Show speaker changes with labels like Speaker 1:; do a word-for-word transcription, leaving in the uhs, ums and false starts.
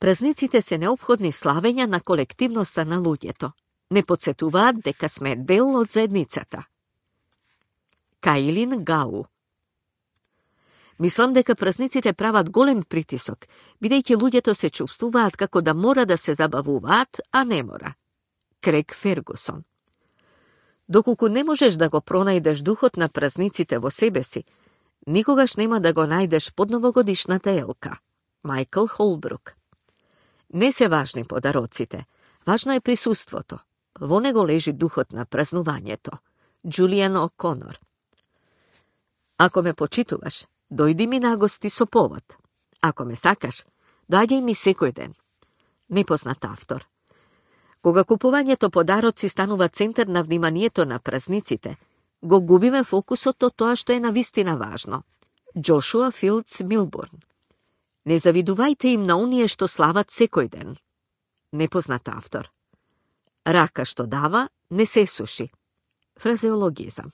Speaker 1: Празниците се неопходни славења на колективноста на луѓето. Не подсетуваат дека сме дел од заедницата. Каилин Гау. Мислам дека празниците прават голем притисок, бидејќи луѓето се чувствуваат како да мора да се забавуваат, а не мора. Крег Фергусон. Доколку не можеш да го пронајдеш духот на празниците во себе си, никогаш нема да го најдеш под новогодишната елка. Майкл Холбрук. Не се важни подароците, важно е присуството. Во него лежи духот на празнувањето. Џулијан О'Конор. Ако ме почитуваш, дојди ми на гости со повод. Ако ме сакаш, доаѓај ми секој ден. Непознат автор. Кога купувањето подароци станува центар на вниманието на празниците, го губиме фокусот од тоа што е навистина важно. Џошуа Филдс Милбурн. Не завидувајте им на оние што слават секој ден. Непознат автор. Рака што дава, не се суши. Фразеологизам.